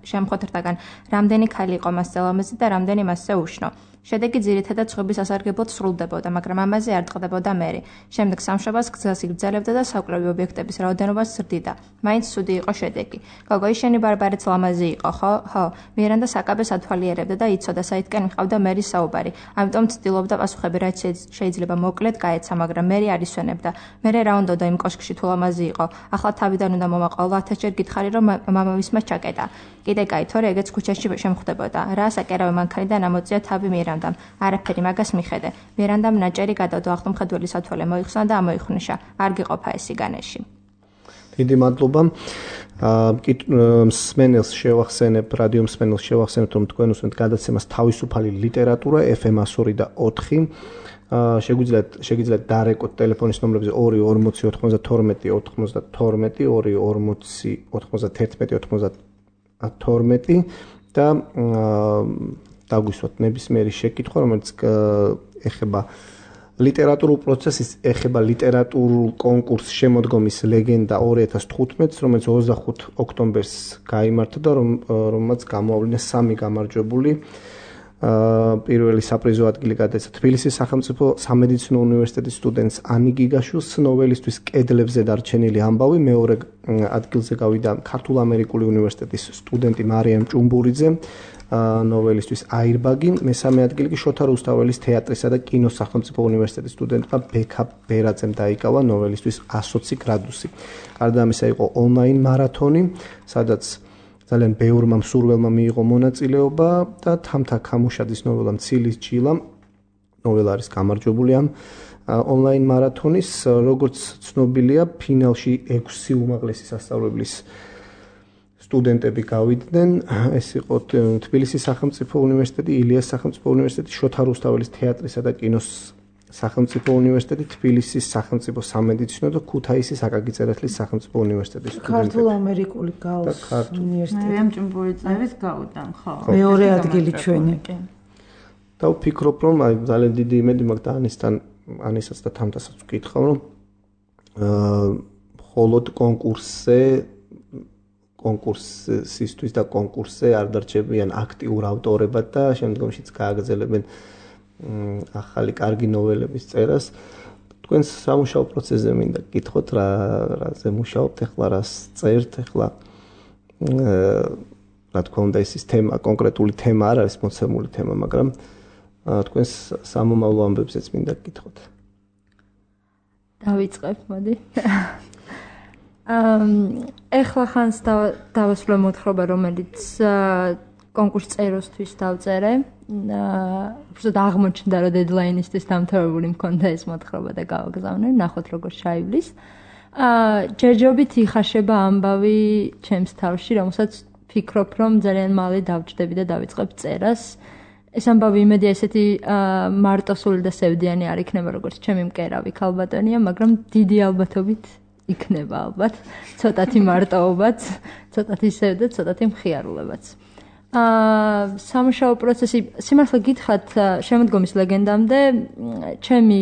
შემხოთრდაგან რამდენი ქალი იყო მასზე ლამაზი და რამდენი მასზე უშნო. შედეგი ძირითადად სხვების ასარგებლოდ სრულდებოდა, მაგრამ ამაზე არ ტყდებოდა მერი. შემდეგ სამშაბათს გზას იგრძელებდა და საკვლევი ობიექტების რაოდენობას ზრდიდა. მაინც ცუდი იყო შედეგი. გოგო, შენი ბარბარეც ლამაზი იყო, ხო? მირანდა საკაბეს ათვალიერებდა და იცოდა, საითკენ მიყავდა მერის საუბარი. ამიტომ ცდილობდა პასუხები რაც შეიძლება მოკლედ გაეცა, მაგრამ მერი არ ისვენებდა. მერე რა უნდოდა იმ კოშკში თუ ლამაზი იყო. ახლა თავიდან უნდა მომაყოლა 1000-ჯერ გითხარი, რომ მამამისმა ჩაკეტა. კიდე კაი, თორე ეგეც ქუჩაში შემხვდებოდა. რა საკერავე მანქანიდან ამოწია თავი მირანდამ. არაფერი მაგას მიხედე. მირანდამ ნაჭერი გადავდო, აღტომხედველი სათვალე მოიხსნა და ამოიხნიშა. არ გიყოფა ეს სიგანეში. დიდი მადლობა. მსმენელს შევახსენებ, რადიო მსმენელს შევახსენებ, რომ თქვენ უსმენთ გადაცემას თავისუფალი ლიტერატურა FM 102 და 4. შეგიძლიათ დარეკოთ ტელეფონის ნომრებზე 240 92 92 240 91 92 და დაგვისვათ ნებისმიერი შეკითხვა, რომელიც ეხება ლიტერატურულ პროცესს, ეხება ლიტერატურულ კონკურს შემოდგომის ლეგენდა 2015, რომელიც 25 ოქტომბერს გაიმართა და რომელმაც გამოავლინა 3 გამარჯვებული. პირველი საპრიზო ადგილი გადაეცა თბილისის სახელმწიფო სამედიცინო უნივერსიტეტის სტუდენტს ანი გიგაშვილს, ნოველისთვის კედლებზე დარჩენილი ამბავი, მეორე ადგილზე გავიდა ქართულ-ამერიკული უნივერსიტეტის სტუდენტი მარიამ ჭუმბურიძე, ნოველისთვის აირბაგი, მესამე ადგილი კი შოთა რუსთაველის თეატრისა და კინოს სახელმწიფო უნივერსიტეტის სტუდენტმა ბექა ბერაძემ დაიკავა, ნოველისთვის 120 გრადუსი. გარდა ამისა იყო ონლაინ მარათონი, სადაც ძალიან ბევრმა მსურველმა მიიღო მონაწილეობა და თამთა ქამუშაძის ნოველა ცილის ჯილა, ნოველა არის გამარჯვებული ამ ონლაინ მარათონის, როგორც ცნობილია, ფინალში 6 უმაღლესი სასწავლებლის სტუდენტები გავიდნენ. ეს იყო თბილისის სახელმწიფო უნივერსიტეტი, ილიას სახელმწიფო უნივერსიტეტი, შოთა რუსთაველის თეატრისა და კინოს სახელმწიფო უნივერსიტეტი, თბილისის სახელმწიფო სამედიცინო და ქუთაისის აკაკი წერეთლის სახელმწიფო უნივერსიტეტის სტუდენტები. ქართულ-ამერიკული გავს უნივერსიტეტი. მარიამ ჭუმბურიძეების გავუდან, ხო. მეორე ადგილი ჩვენი. და ვფიქრობ, რომ ძალიან დიდი იმედი მაქვს და ანისაც და თამთასაც ვკითხავ, რომ მხოლოდ კონკურსისთვის და კონკურსზე არ დარჩებიან აქტიურ ავტორებად და შემდგომშიც გააგრძელებენ ახალი კარგი ნოველების წერას. თქვენს სამუშაო პროცესზე მინდა გკითხოთ, რაზე მუშაობთ ახლა, რას წერთ ახლა. რა თქმა უნდა, ეს თემა, კონკრეტული თემა არ არის მოცემული თემა, მაგრამ თქვენს სამომავლო ამბებზეც მინდა გკითხოთ. დავიწყებ, მოდი. ეხლა ხანს დავასრულე მოთხრობა, რომელიც კონკურს წეროსთვის დავწერე. უბრალოდ აღმოჩნდა, რომ დედლაინისთვის დამთავრებული მქონდა ეს მოთხრობა და გავაგზავნე, ნახოთ როგორ შეივლის. ჯერჯერობით იხაშება ამბავი ჩემს თავში, რომელსაც ფიქრობ, რომ ძალიან მალე დავჭდები და დავიწყებ წერას. ეს ამბავი იმედია ესეთი მარტოსული და სევდიანი არ იქნება, როგორც ჩემი მკერავი ქალბატონია, მაგრამ დიდი ალბათობით იქნება ალბათ. ცოტათი მარტოობაც, ცოტათი სევდა, ცოტათი მხიარულებაც. სამუშაო პროცესი, სიმართლე გითხრათ, შემოდგომის ლეგენდამდე ჩემი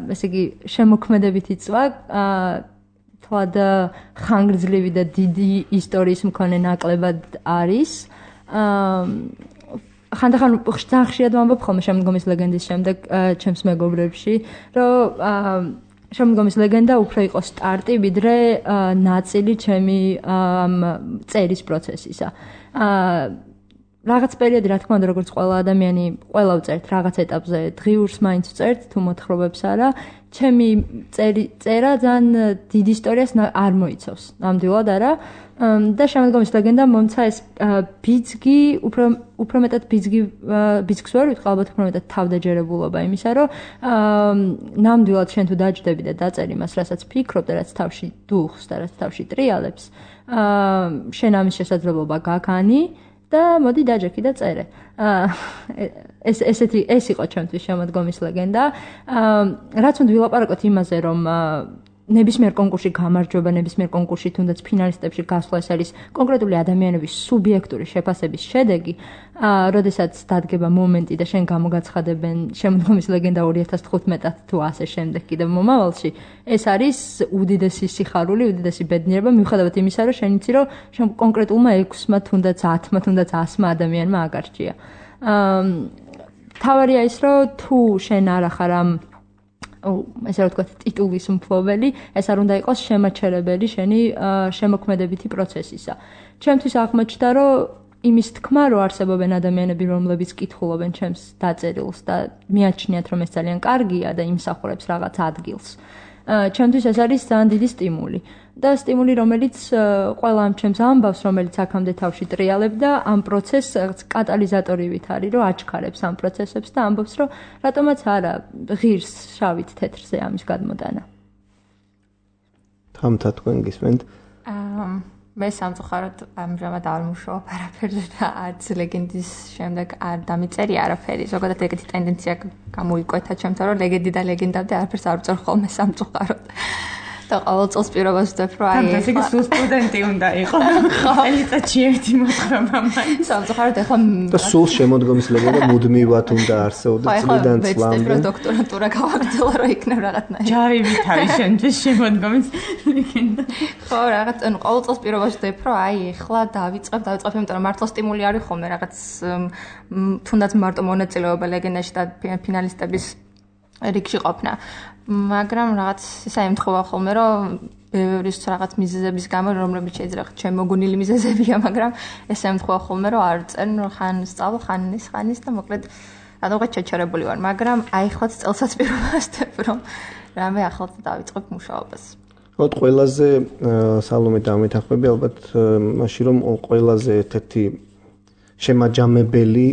ესე იგი შემოქმედებითი წვა თვად ხანგრძლივი და დიდი ისტორიის მქონე ნაკლებად არის. ხანდახან ძალიან ხშირად ვამბობ ხოლმე შემოდგომის ლეგენდის შემდეგ ჩემს მეგობრებში, რომ შემოდგომის ლეგენდა უფრო იყო სტარტი, ვიდრე ნაწილი ჩემი წერის პროცესისა. რაღაც პერიოდი, რა თქმა უნდა, როგორც ყველა ადამიანი, ყველა ვწერთ რაღაც ეტაპზე, დღიურს მაინც ვწერთ, თუ მოთხრობებს არა. ჩემი წერა ძალიან დიდ ისტორიას არ მოიცავს, ნამდვილად არა. და შემოდგომის ლეგენდა მომცა ეს ბიძგი, უფრო მეტად ბიძგს ვერ ვიტყვი, ალბათ უფრო მეტად თავდაჯერებულობა იმისა, რომ ნამდვილად შენ თუ დაჯდები და დაწერ იმას, რასაც ფიქრობ და რაც თავში დუხს და რაც თავში ტრიალებს, შენ ამის შესაძლებლობა გაგანი და მოდი დაჯექი და წერე. ეს იყო ჩემთვის შემოდგომის ლეგენდა. რაც უნდა ვილაპარაკოთ იმაზე, რომ ნებისმიერ კონკურსში გამარჯვება, ნებისმიერ კონკურსში თუნდაც ფინალისტებში გასვლა ეს არის კონკრეტული ადამიანების სუბიექტური შეფასების შედეგი, როდესაც დადგება მომენტი და შენ გამოგაცხადებენ შემოდგომის ლეგენდა 2015-ად თუ ასე შემდეგ კიდევ მომავალში, ეს არის უდიდესი სიხარული, უდიდესი ბედნიერება, მიუხედავად იმისა, რომ შენ იცი, რომ შენ კონკრეტულმა 6-მა, თუნდაც 10-მა, თუნდაც 100-მა ადამიანმა აგარჩია. თავარია ის, რომ თუ შენ არ ახარ ამ ესე რა ვთქვათ, ტიტულის მფლობელი, ეს არ უნდა იყოს შემაჩერებელი შენი შემოქმედებითი პროცესისა. ჩემთვის აღმოჩნდა, რომ იმის თქმა, რომ არსებობენ ადამიანები, რომლებიც კითხულობენ ჩემს დაწერილს და მიაჩნიათ, რომ ეს ძალიან კარგია და იმსახურებს რაღაც ადგილს. ჩემთვის ეს არის ძალიან დიდი სტიმული. და სტიმული, რომელიც ყველა ამ ჩემს ამბავს, რომელიც აქამდე თავში ტრიალებდა, ამ პროცესს კატალიზატორივით არის, რომ აჩქარებს ამ პროცესებს და ამბობს, რომ რატომაც არა ღირს შავით თეთრზე ამის გადმოტანა. თამთა თქვენ გისმენთ? მე სამწუხაროდ ამჟამად არ მუშაობ არაფერზე და არც ლეგენდის შემდეგ არ დამიწერია არაფერი. ზოგადად ეგეთი ტენდენცია გამოიკვეთა ჩემთან, რომ ლეგენდი და ლეგენდამდე არაფერს არ ვწერ ხოლმე სამწუხაროდ. და ყოველ წელს პირობას ვდებ, რომ აი ეს იგი სულ სტუდენტი უნდა იყოს. ელიტაში ერთი მოთხრობა მაინც. სამწუხაროდ ახლა და სულ შემოდგომის ლეგენდა მუდმივად უნდა არსებობდეს წლიდან წლამდე. ხო, დოქტორატურა გავაგრძელა, რომ იქნებ რაღაცნაირი. ჯარივით არის შენთვის შემოდგომის ლეგენდა. ხო, რაღაც ანუ ყოველ წელს პირობას ვდებ, რომ აი ახლა დავიწყებ, იმიტომ რომ მართლა სტიმული არის ხოლმე რაღაც თუნდაც მარტო მონაწილეობა ლეგენდაში და ფინალისტების რიგში ყოფნა. მაგრამ რაღაც ისა ემთხვევა ხოლმე, რომ ბევრის რაღაც მიზეზების გამო, რომლებიც შეიძლება შემოგონილი მიზეზებია, მაგრამ ეს ემთხვევა ხოლმე, რომ არ წენ, ხან სწავლ, ხან ის და მოკლედ რადგან შეჩერებული ვარ, მაგრამ აი ხლაც წელსაც პირობას ვდებ, რომ რამე ახალ დავიწყებ მუშაობას. ხო, ყველაზე სალომე დამეთახმები ალბათ მაშინ რომ ყველაზე ერთ-ერთი შემაჯამებელი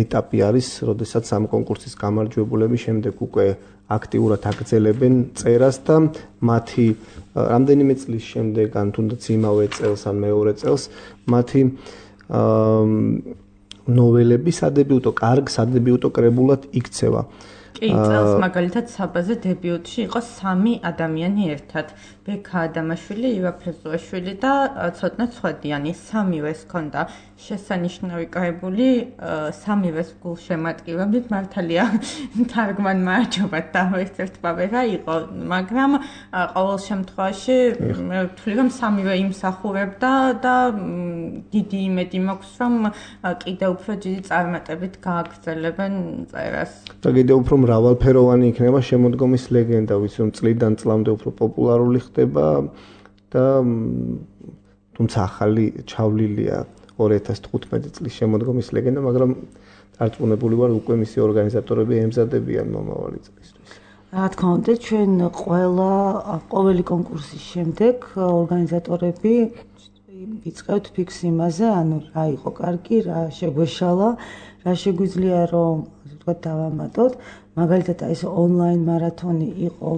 ეტაპი არის, როდესაც ამ კონკურსის გამარჯვებულები შემდეგ უკვე აქტიურად აგრძელებენ წერას და მათი რამდენიმე წლის შემდეგ ან თუნდაც იმავე წელს ან მეორე წელს მათი ნოველები სადებიუტო კარგ სადებიუტო კრებულად იქცევა. კი, წელს მაგალითად საბაზე დებიუტში იყო 3 ადამიანი ერთად. ბექა ადამაშვილი, ივა ფრეზოაშვილი და ცოტნე ცხვედიანი. 3-ვეს ჰქონდა შესანიშნავი კრებული, 3-ვეს გულშემატკივრებდით. მართალია თარგმანმა არჩევათ და ერთ-ერთმა ვერა იყო, მაგრამ ყოველ შემთხვევაში ვთვლი რომ 3-ვე იმსახურებდა და დიდი იმედი მაქვს რომ კიდევ უფრო დიდი წარმატებით გააგრძელებენ წერას. და კიდევ უფრო მრავალფეროვანი იქნება შემოდგომის ლეგენდა, ვიცი რომ წლიდან წლამდე უფრო პოპულარული ხდება და თუმცა ახალი ჩავლილია 2015 წლის შემოდგომის ლეგენდა, მაგრამ დარწმუნებული ვარ უკვე მისი ორგანიზატორები ემზადებიან მომავალი წლისთვის. რა თქმა უნდა, ჩვენ ყოველი კონკურსის შემდეგ ორგანიზატორები ვიწყებთ ფიქს იმაზე, ანუ რა იყო კარგი, რა შეგვეშალა, რა შეგვიძლია რომ ასე ვთქვათ დავამატოთ. მაგალითად ეს ონლაინ მარათონი იყო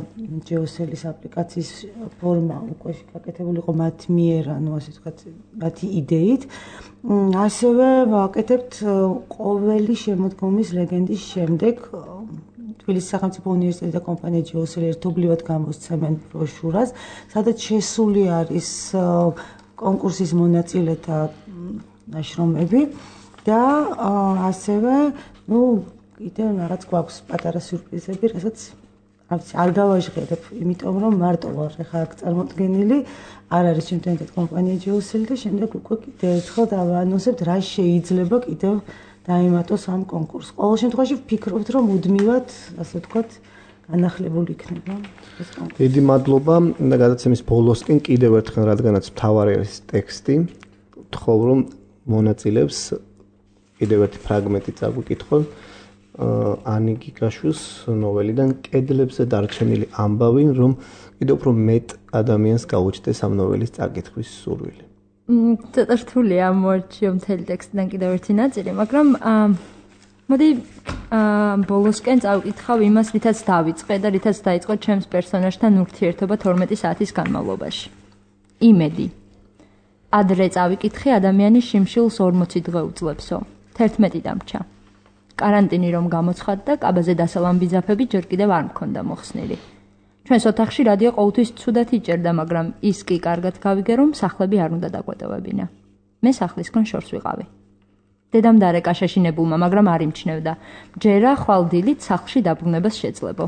GeoSell-ის აპლიკაციის ფორმა უკვე გაკეთებული იყო მათ მიერ, ანუ ასე ვთქვათ მათი იდეით. ასევე ვაკეთებთ ყოველი შემოდგომის ლეგენდის შემდეგ თბილისის სახელმწიფო უნივერსიტეტი და კომპანია GeoSell ერთობლივად გამოსცემენ ბროშურას, სადაც შესული არის კონკურსის მონაწილეთა ნაშრომები და ასევე კიდევ რაღაც გვაქვს პატარა სიურპრიზები, რასაც არ გავაჟღერებ, იმიტომ რომ მარტო ვარ ხა აქ წარმოდგენილი, არ არის ჩემთან ერთად კომპანია GeoSell და შემდეგ უკვე კიდევ ერთხელ დავაანონსებთ რა შეიძლება კიდევ დაიმატოს ამ კონკურსს. ყოველ შემთხვევაში ვფიქრობთ, რომ მუდმივად, ასე ვთქვათ, განახლებული იქნება ეს კონკურსი. დიდი მადლობა და გადაცემის ბოლოსკენ კიდევ ერთხელ რადგანაც მთავარი არის ტექსტი, ვთხოვ რომ მონაწილეებს კიდევ ერთი ფრაგმენტი წაგვიკითხონ ანი გიგაშვილის ნოველიდან კედლებზე დარჩენილი ამბავი, რომ კიდევ უფრო მეტ ადამიანს გაუჩნდეს ამ ნოველის წაკითხვის სურვილი. ცოტა რთულია მოარჩიო მთელი ტექსტიდან კიდევ ერთი ნაწილი, მაგრამ მოდი ბოლოსკენ წავკითხავ იმას, რითაც დავიწყე და რითაც დაიწყო ჩემს პერსონაჟთან ურთიერთობა 12 საათის განმავლობაში. იმედი. ადრე წავიკითხე ადამიანის შიმშილს 40 დღე უძლებსო. 11 დამრჩა. карантინი რომ გამოცხადდა, კაბაზე დასალამბი ძაფები ჯერ კიდევ არ მქონდა მოხსნილი. ჩვენს ოთახში რადიო ყოველთვის ცუდად იჭერდა, მაგრამ ის კი კარგად გავიგე, რომ სახლები არ უნდა დაგვეტოვებინა. მე სახლისგან შორს ვიყავი. დედამ დარეკა შეშინებულმა, მაგრამ არ იმჩნევდა. ჯერა ხვალდილით სახლში დაბრუნებას შეძლებო.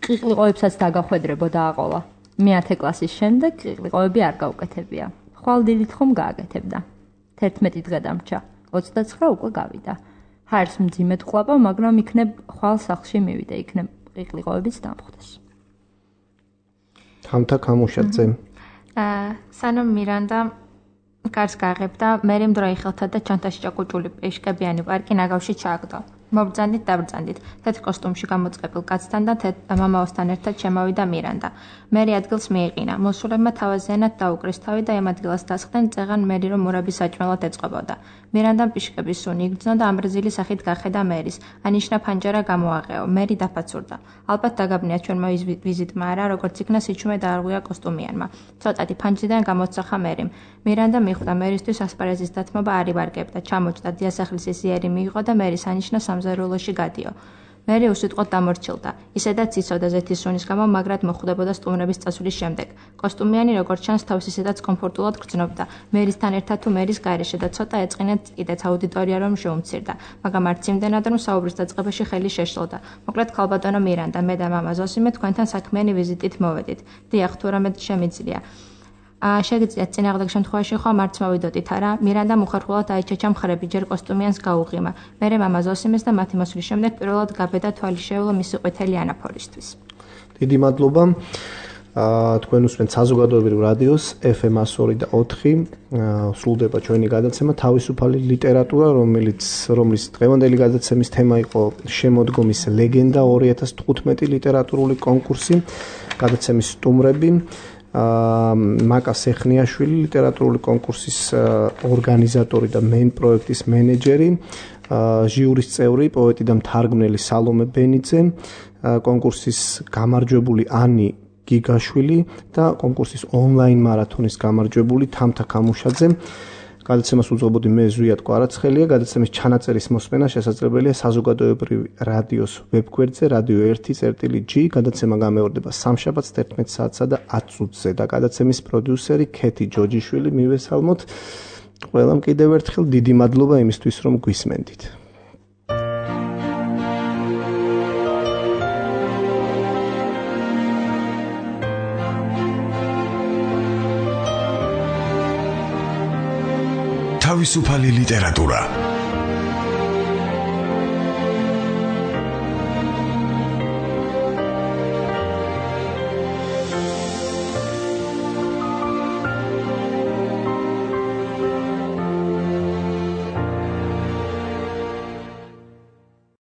ყიყლიყოებსაც დაგახვედრებო და აყოლა. მე 10 კლასის შემდეგ ყიყლიყოები არ გავუკეთებია. ხვალდილით ხომ გააკეთებდა. 11 დღე დამრჩა. 29 უკვე გავიდა. ჰარს მძიმედ ყლაპა, მაგრამ იქნებ ხვალ სახლში მივიდე, იქნებ ყიყლიყოებიც დამხვდეს. თამთა გამუშაძე. სანამ მირანდა კარს გააღებდა, მერე მდროი ხელთა და ჩანთაში ჭაკუჭული პეშკებიანი პარკი ნაგავში ჩააგდო. მობრძანდით დაბრძანდით, თეთრ კოსტუმში გამოწყებილ კაცთან და მამაოსთან ერთად შემოვიდა მირანდა. მერი ადგილს მიეყინა. მოსულებმა თავაზიანად დაუკრის თავი და ამ ადგილას დასხდნენ, წეღან მერი რომ მურაბის საჭმელად ეწყობოდა. მირანდამ პიშკების სუნი იგრძნო და ამბრაზილი სახით გახედა მერის. ანიშნა ფანჯარა გამოაღეო. მერი დაფაცურდა. ალბათ დაგაბნია ჩვენმა ვიზიტმა არა, როგორც იქნა სიჩუმე დაარღვია კოსტუმიანმა. ცოტათი ფანჯრიდან გამოსახა მერიმ. მირანდა მიხვდა მერისთვის ასპარეზის დათმობა არ იბარგებდა. ჩამოჭდა დიასახლისის იერი მიიღო და მერის ანიშნა სამზარეულოში გადიო. მერი უსიტყვოდ დამორჩილდა. ისედაც იცოდა ზეთის სუნის გამო, მაგრად მოხვდებოდა სტუმრების წასვლის შემდეგ. კოსტუმიანი როგორც ჩანს თავს ისედაც კომფორტულად გრძნობდა. მეrisთან ერთად თუ მერის გარეშე და ცოტა ეწყინეთ კიდეც აუდიტორია რომ შეუმცირდა. მაგრამ არც იმდენად რომ საუბრის დაწყებაში ხელი შეშლოდა. მოკლედ ქალბატონო მირანდა, მე და მამა ზოსიმე თქვენთან საქმიანი ვიზიტით მოვედით. დიახ, თუ რამე შემიძლია. შეგიძლიათ წინააღმდეგ შემთხვევაში ხომ არც მოვიდოდით არა? მირანდა უხერხულად აიჩეჩა მხრები, ჯერ კოსტუმიანს გაუღიმა. მერე მამა ზოსიმეს და მათი მოსვლის შემდეგ პირველად გაბედა თვალი შეეულო მისი ყვითელი ანაფორისთვის. დიდი მადლობა. თქვენ უსმენთ საზოგადოებრივ რადიოს FM 102 და 4. სრულდება ჩვენი გადაცემა თავისუფალი ლიტერატურა, რომლის დღევანდელი გადაცემის თემა იყო შემოდგომის ლეგენდა 2015 ლიტერატურული კონკურსი. გადაცემის სტუმრები მაკა სეხნიაშვილი, ლიტერატურული კონკურსის ორგანიზატორი და მენ პროექტის მენეჯერი, ჟიურის წევრი, პოეტი და მთარგმნელი სალომე ბენიძე, კონკურსის გამარჯვებული ანი გიგაშვილი და კონკურსის ონლაინ მარათონის გამარჯვებული თამთა გამუშაძე. გადაცემას უძღვებოდი მე ზვიად კვარაცხელია. გადაცემის ჩანაწერის მოსმენა შესაძლებელია საზოგადოებრივი რადიოს ვებგვერდზე radio1.g. გადაცემა გამეორდება სამშაბათს 11 საათსა და 10 წუთზე და გადაცემის პროდიუსერი ქეთი ჯოჯიშვილი. მივესალმოთ ყველამ კიდევ ერთხელ დიდი მადლობა იმისთვის რომ გვისმენდით. თავისუფალი ლიტერატურა